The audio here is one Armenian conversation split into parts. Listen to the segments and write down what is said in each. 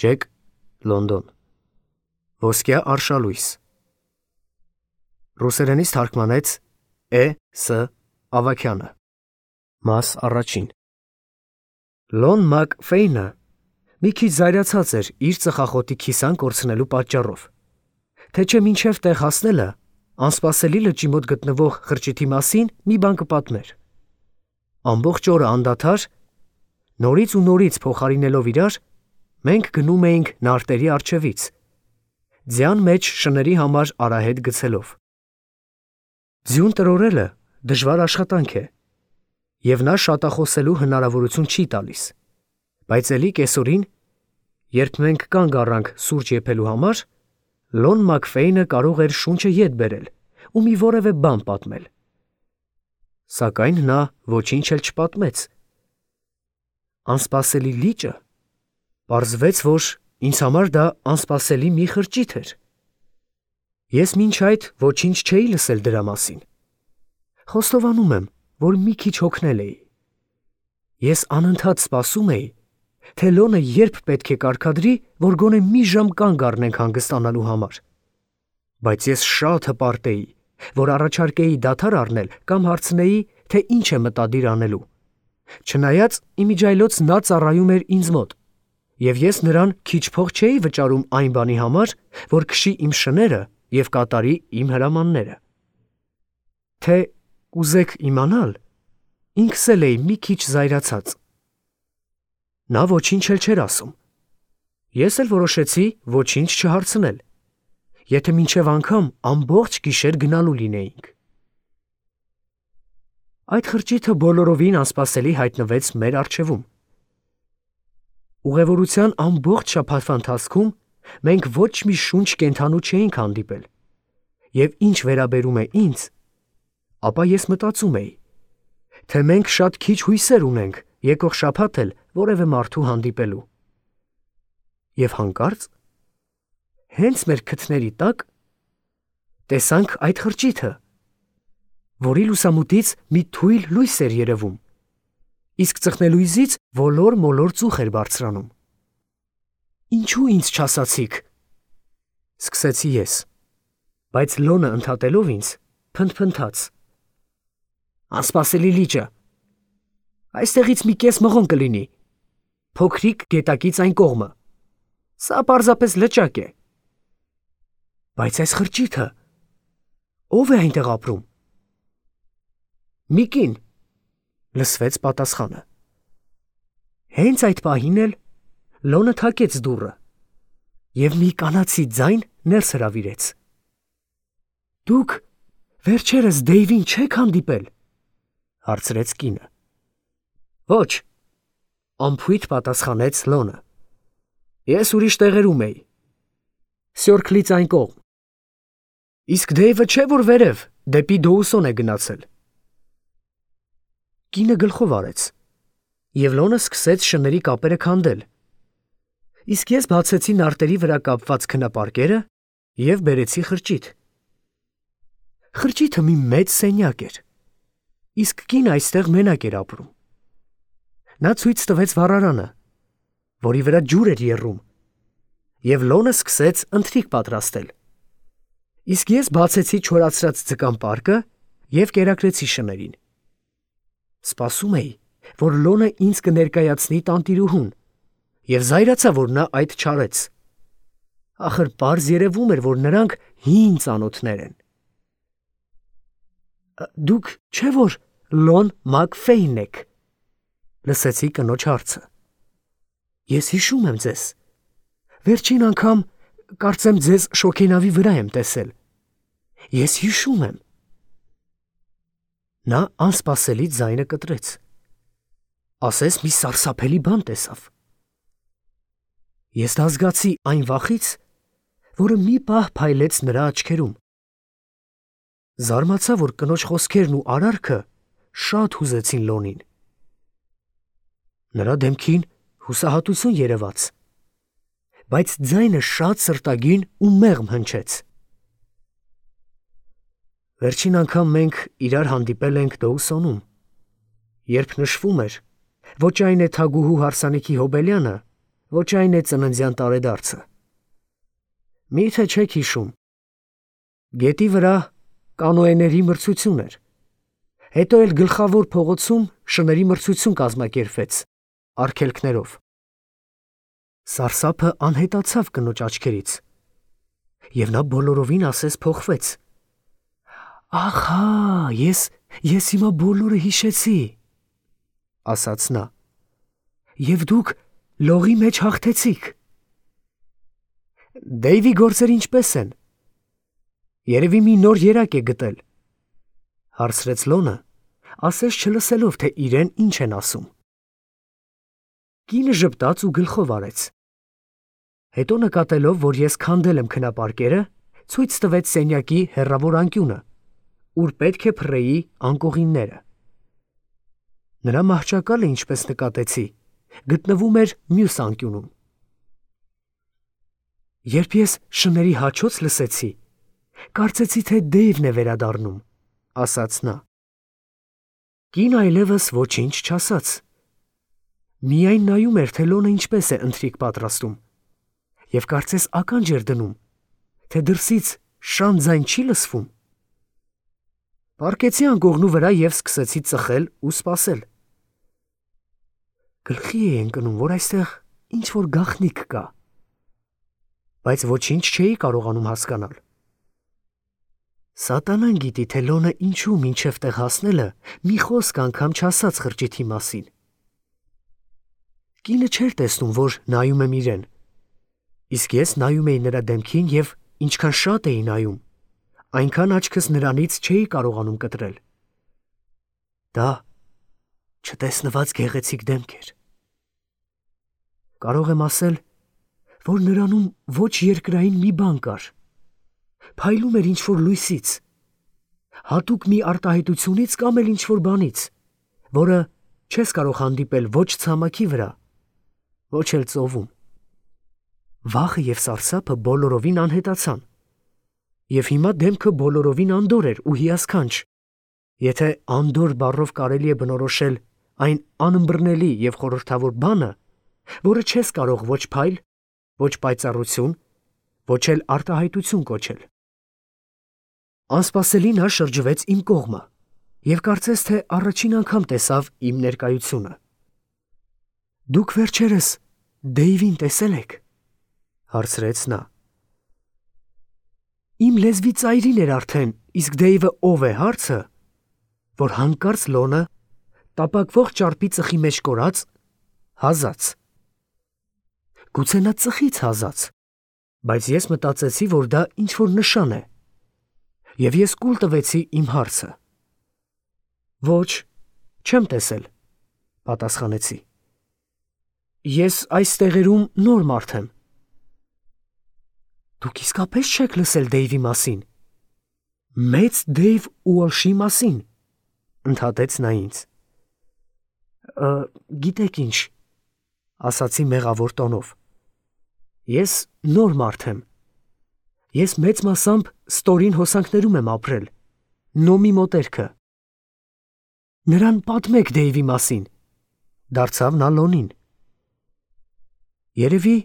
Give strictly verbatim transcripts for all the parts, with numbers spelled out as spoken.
Ջեք, Լոնդոն։ Ոսկյա արշալույս։ Ռուսերենից թարգմանեց Է. Ս. Ավագյանը։ Մաս առաջին։ Լոն Մակ Ֆեյնը մի քիչ զայրացած էր իր ծխախոտի քիսան կորցնելու պատճառով, թե չէ մինչև տեղ հասնելը անսպասելի լճի մոտ գտնվող խրճիթի մասին մի բան կպատմեր։ Ամբողջ օրը անդադար, նորից ու նորից փոխարինելով իրար, մենք գնում էինք նարտերի առջևից, ձյան մեջ շների համար արահետ գցելով։ Ձյուն տրորելը դժվար աշխատանք է, և նա շատախոսելու հնարավորություն չի տալիս, բայց էլի կեսօրին, երբ մենք կանգ առանք սուրճ եփելու համար, Լոն Մակ Ֆեյնը կարող էր շունչը ետ բերել ու մի որևէ բան պատմել։ Սակայն նա ոչինչ էլ չպատմեց։ Անսպասելի լիճը, պարզվեց, որ ինձ համար դա անսպասելի մի խրճիթ էր։ Ես մինչ այդ ոչինչ չէի լսել դրա մասին։ Խոստովանում եմ, որ մի քիչ հոգնել էի։ Ես անընդհատ սպասում էի, թե Լոնը երբ պետք է կարգադրի, որ գոնե մի ժամ կանգ առնենք հանգստանալու համար, բայց ես շատ հպարտ էի, որ առաջարկեի դադար առնել կամ հարցնեի, թե ինչ է մտադիր անելու, չնայած իմիջիայլոց նա ծառայում էր ինձ մոտ, և ես նրան քիչ փող չէի վճարում այն բանի համար, որ քշի իմ շները և կատարի իմ հրամանները։ Թե կուզեք իմանալ, ինքս էլ էի մի քիչ զայրացած։ Նա ոչինչ էլ չէր ասում։ Ես էլ որոշեցի ոչինչ չհարցնել, եթե մինչև անգամ ամբողջ գիշեր գնալու լինեինք։ Այդ խրճիթը բոլորովին անսպասելի հայտնվեց մեր առջևում։ Ուղևորության ամբողջ շաբաթվա ընթացքում մենք ոչ մի շունչ կենդանու չէինք հանդիպել, և ինչ վերաբերում է ինձ, ապա ես մտածում էի, թե մենք շատ քիչ հույսեր ունենք եկող շաբաթ էլ որևէ մարդու հանդիպելու։ Եվ հանկարծ, հենց մեր քթների տակ, տեսանք այդ խրճիթը, որի լուսամուտից մի թույլ լույս էր երևում, իսկ ծխնելույզից ոլոր-մոլոր ծուխ էր բարձրանում։ Ինչու ինձ չասացիք, սկսեցի ես, բայց Լոնը ընդհատելով ինձ, փնթփնթաց. Անսպասելի լիճը, այստեղից մի կես մղոն կլինի, փոքրիկ գետակից այն կողմը, սա պարզապես լճակ է։ Բայց այս խրճիթը, ո՞վ է այնտեղ ապրում։ Մի կին, լսվեց պատասխանը։ Հենց այդ պահին էլ Լոնը թակեց դուռը և մի կանացի ձայն ներս հրավիրեց։ Դուք վերջերս Դեյվին չեք հանդիպել, հարցրեց կինը։ Ոչ, անփույթ պատասխանեց Լոնը։ Ես ուրիշ տեղերում էի, Սյորքլից այն կողմ։ Իսկ Դեյվը չէ որ վերև, դեպի Դոուսոն է գնացել։ Կինը գլխով արեց, և Լոնը սկսեց շների կապերը քանդել, իսկ ես բացեցի նարտերի վրա կապված քնապարկերը և բերեցի խրճիթ։ Խրճիթը մի մեծ սենյակ էր, իսկ կինը այստեղ մենակ էր ապրում։ Նա ցույց տվեց վառարանը, որի վրա ջուր էր եռում, և Լոնը սկսեց ընթրիք պատրաստել, իսկ ես բացեցի չորացրած ձկան պարկը և կերակրեցի շներին։ Սպասում էի, որ Լոնը ինձ կներկայացնի տանտիրուհուն, և զայրացա, որ նա այդ չարեց։ Ախր պարզ երևում էր, որ նրանք հին ծանոթներ են։ Դուք չէ՞ որ Լոն Մակ Ֆեյնն եք, լսեցի կնոջ հարցը։ Ես հիշում եմ ձեզ, վերջին անգամ կարծեմ ձեզ շոգենավի վրա եմ տեսել։ Ես հիշում եմ։ Նա անսպասելի ձայնը կտրեց, ասես մի սարսափելի բան տեսավ։ Ես դա զգացի այն վախից, որը մի պահ փայլեց նրա աչքերում։ Զարմացա, որ կնոջ խոսքերն ու արարքը շատ հուզեցին Լոնին։ Նրա դեմքին հուսահատություն երևաց, բայց ձայնը շատ սրտագին ու մեղմ հնչեց։ Վերջին անգամ մենք իրար հանդիպել ենք ոչ այն է ծննդյան տարեդարձը։ Մի՞թե չեք հիշում։ Գետի վրա կանոեների մրցություն էր։ Հետո էլ գլխավոր փողոցում շների մրցություն կազմակերպվեց արգելքներով։ Սարսափը անհետացավ կնոջ աչքերից, և նա բոլորովին ասես փոխվեց։ «Ահա, ես, ես հիմա բոլորը հիշեցի», ասաց նա, «և դուք լողի մեջ հաղթեցիք»։ Դեյվի գործերը ինչպե՞ս են։ Երևի մի նոր երակ է գտել, հարցրեց Լոնը, ասես չլսելով, թե իրեն ինչ են ասում։ Կինը ժպտաց ու գլխով արեց։ Հետո նկատելով, որ ես քանդել եմ քնապարկերը, ցույց տվեց սենյակի հեռավոր անկյունը, ուր պետք է փռեի անկողինները։ Նրա մահճակալը, ինչպես նկատեցի, գտնվում էր մյուս անկյունում։ Երբ ես շների հաչոց լսեցի, կարծեցի, թե Դեյվն է վերադառնում, ասաց նա։ Կինը այլևս ոչինչ չասաց։ Միայն նայում էր, թե Լոնը ինչպես է ընթրիք պատրաստում, և կարծես ականջ էր դնում, թե դրսից շան ձայն չի լսվում։ Պառկեցի անկողնու վրա և սկսեցի ծխել ու սպասել։ Գլխի էի ընկնում, որ այստեղ ինչ-որ գաղտնիք կա, բայց ոչինչ չէի կարողանում հասկանալ։ Սատանան գիտի, թե Լոնը ինչու մինչև տեղ հասնելը մի խոսք անգամ չասաց խրճիթի մասին։ Կինը չէր տեսնում, որ նայում եմ իրեն, իսկ ես նայում էի նրա դեմքին և ինչքան շատ էի նայում, այնքան աչքս նրանից չէի կարողանում կտրել։ Դա չտեսնված գեղեցիկ դեմք էր։ Կարող եմ ասել, որ նրանում ոչ երկրային մի բան կար, փայլում էր ինչ-որ լույսից, հատուկ մի արտահայտությունից կամ էլ ինչ-որ բանից, որը չես կարող հանդիպել ոչ ցամաքի վրա, ոչ էլ ծովում։ Վախը և սարսափը բոլորովին անհետացան, և հիմա դեմքը բոլորովին անդորր էր ու հիասքանչ, եթե անդորր բառով կարելի է բնորոշել այն անըմբռնելի և խորհրդավոր բանը, որը չես կարող ոչ փայլ, ոչ պայծառություն, ոչ էլ արտահայտություն կոչել։ Անսպասելի նա շրջվեց իմ կողմը և կարծես թե առաջին անգամ տեսավ իմ ներկայությունը։ Դուք վերջերս Դեյվին տեսե՞լ եք, հարցրեց նա։ Իմ լեզվի ծայրին էր արդեն, իսկ Դեյվը ով է հարցը, որ հանկարծ Լոնը տապակվող ճարպի ծխի մեջ կորած հազաց։ Գուցե նա ծխից հազաց, բայց ես մտածեցի, որ դա ինչ-որ նշան է, և ես կուլ տվեցի իմ հարցը։ Ոչ, չեմ տեսել, պատասխանեցի։ Ես այս տեղերում նոր մարդ եմ։ Դուք իսկապես չեք լսել Դեյվի մասին։ Մեծ Դեյվ Ուոլշի մասին, ընդհատեց նա ինձ։ Գիտեք ինչ, ասացի մեղավոր տոնով։ Ես նոր մարդ եմ։ Ես մեծ մասամբ ստորին հոսանքներում եմ ապրել, Նոմի մոտերքը։ Նրան պատմեք Դեյվի մասին, դարձավ նա Լոնին։ Երևի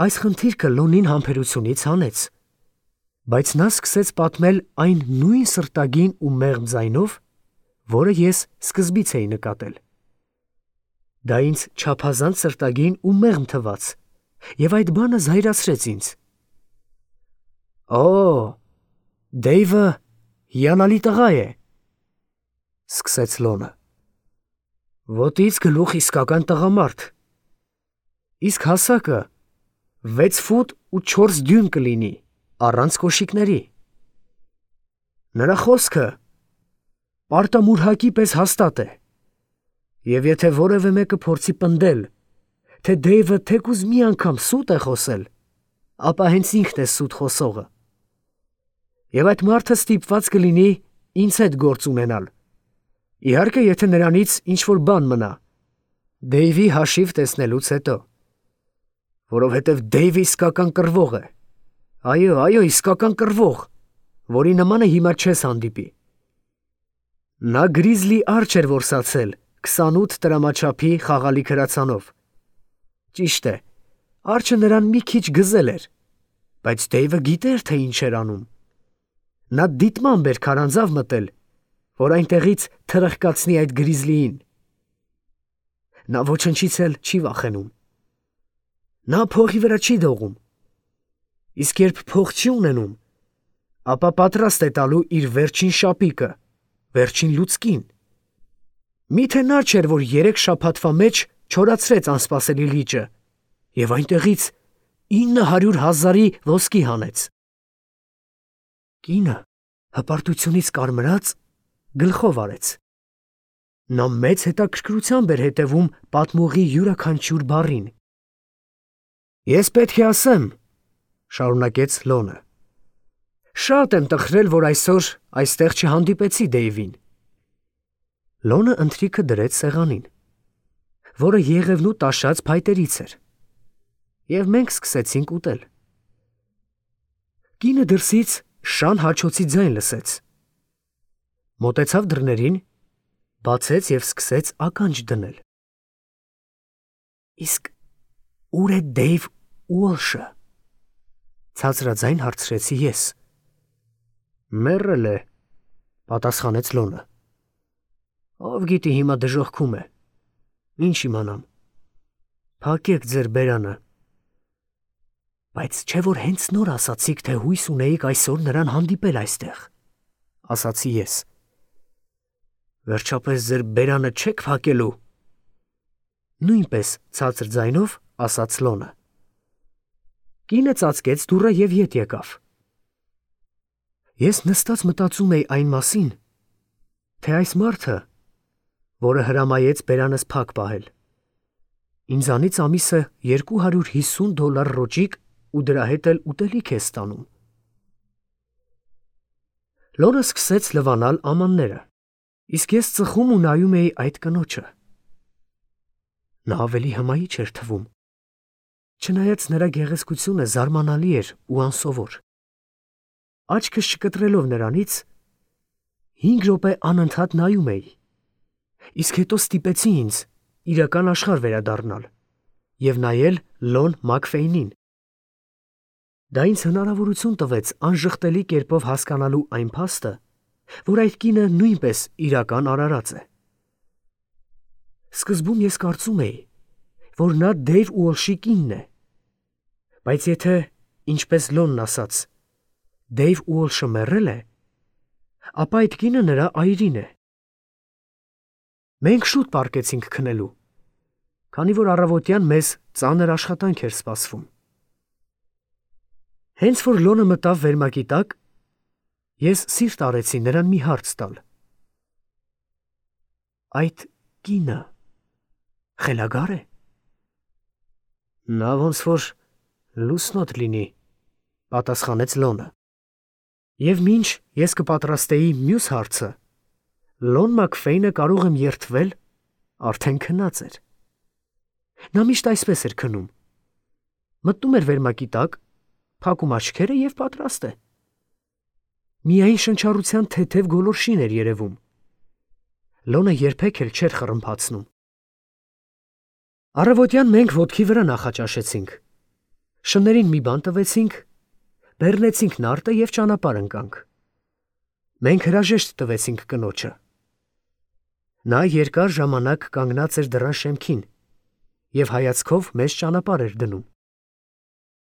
այս խնդիրքը Լոնին համբերությունից հանեց, բայց նա սկսեց պատմել այն նույն սրտագին ու մեղմ ձայնով, որը ես սկզբից էի նկատել։ Դա ինձ չափազանց սրտագին ու մեղմ թվաց, և այդ բանը զայրացրեց ինձ։ Օ, Դեյվը հիանալի տղա է, սկսեց Լոնը։ Ոտից գլուխ իսկական տղամարդ, իսկ հասակը վեց ֆուտ ու չորս դյույմ կլինի, առանց կոշիկների։ Նրա խոսքը պարտամուրհակի պես հաստատ է, և եթե որևէ մեկը փորձի պնդել, թե Դեյվը թեկուզ մի անգամ սուտ է խոսել, ապա հենց ինքն է սուտ խոսողը։ Եվ այդ մարդը ստիպված կլինի ինձ հետ գործ ունենալ, իհարկե, եթե նրանից ինչ-որ բան մնա, Դեյվի հաշիվ տեսնելուց հետո, որովհետև Դեյվը իսկական կռվող է, այո, այո, իսկական կռվող, որի նմանը հիմա չես հանդիպի։ Նա գրիզլի արջ էր որսացել քսանութ տրամաչափի խաղալիք հրացանով։ Ճիշտ է, Արջը նրան մի քիչ գզել էր, բայց Դեյվը գիտեր, թե ինչ էր անում։ Նա դիտմամբ էր քարանձավ մտել, որ այնտեղից թրխկացնի այդ գրիզլիին։ Նա ոչնչից էլ չի վախենում։ Նա փողի վրա չի դողում։ Իսկ երբ փող չի ունենում, ապա պատրաստ է տալու իր վերջին շապիկը, վերջին լուցկին։ Միթե նա չէր, որ երեք շաբաթվա մեջ չորացրեց անսպասելի լիճը և այնտեղից ինը հարյուր հազարի ոսկի հանեց։ Կինը հպարտությունից կարմրած գլխով արեց։ Նա մեծ հետաքրքրությամբ էր հետևում պատմողի յուրաքանչյուր բառին։ «Ես պետք է ասեմ, ֊ շարունակեց Լոնը, ֊ շատ եմ տխրել, որ այսօր այստեղ չհանդիպեցի Դեյվին»։ Լոնը ընթրիքը դրեց սեղանին, որը եղևնու տաշած փայտերից էր, և մենք սկսեցինք ուտել։ Կինը դրսից շան հաչոցի ձայն լսեց, մոտեցավ դռներին, բացեց և սկսեց ականջ դնել։ «Իսկ ո՞ւր է Դեյվ Ուոլշը, ֊ ցածրաձայն հարցրեցի ես։ ֊ Մեռել է, ֊ պատասխանեց Լոնը։ Ով գիտի հիմա դժոխքում է, ինչ իմանամ։ Փակեք ձեր բերանը։ Բայց չէ՞ որ հենց նոր ասացիք, թե հույս ունեիք այսօր նրան հանդիպել այստեղ, ֊ ասացի ես։ Վերջապես ձեր բերանը չե՞ք փակելու։ Նույնպես ցածր ձայնով ասաց Լոնը։ Կինը ծածկեց դուռը և ետ եկավ։ Ես նստած մտածում էի այն մասին, թե այս մարդը, որը հրամայեց բերանս փակ պահել, ինձանից ամիսը երկու հարյուր հիսուն դոլար ռոճիկ ու դրա հետ էլ ուտելիք է ստանում։ Լոնը սկսեց լվանալ ամանները, իսկ ես ծխում ու նայում էի այդ կնոջը։ Նա ավելի հմայիչ էր թվում, չնայած նրա գեղեցկությունը զարմանալի էր ու անսովոր։ Աչքս չկտրելով նրանից, հինգ րոպե անընդհատ նայում էի, իսկ հետո ստիպեցի ինձ իրական աշխարհ վերադառնալ և նայել Լոն Մաքֆեյնին։ Դա ինձ հնարավորություն տվեց անժխտելի կերպով հասկանալու այն փաստը, որ այդ կինը նույնպես իրական արարած է։ Սկզբում ես կարծում էի, որ նա Դեյվ Ուոլշի կինն է, բայց եթե, ինչպես Լոնն ասաց, Դեյվ Ուոլշը մեռել է, ապա այդ կինը նրա այրին է։ Մենք շուտ պառկեցինք քնելու, քանի որ առավոտյան մեզ ծանր աշխատանք էր սպասվում։ Հենց որ Լոնը մտավ վերմակի տակ, ես սիրտ արեցի նրան մի հարց տալ։ Այդ կինը խելագա՞ր է։ Նա ոնց որ լուսնոտ լինի, ֊ պատասխանեց Լոնը։ Եվ մինչ ես կպատրաստեի մյուս հարցը, Լոն Մաքֆեյնը կարող եմ երդվել, արդեն քնած էր։ Նա միշտ այսպես էր քնում. մտնում էր վերմակի տակ, փակում աչքերը և պատրաստ է։ Միայն շնչառության թեթև գոլորշին էր երևում։ Լոնը երբեք էլ չէր խռմփացնում։ Առավոտյան մենք ոտքի վրա նախաճաշեցինք, շներին մի բան տվեցինք, բեռնեցինք նարտը և ճանապարհ ընկանք։ Մենք հրաժեշտ տվեցինք կնոջը։ Նա երկար ժամանակ կանգնած էր դռան շեմքին և հայացքով մեզ ճանապարհ էր դնում։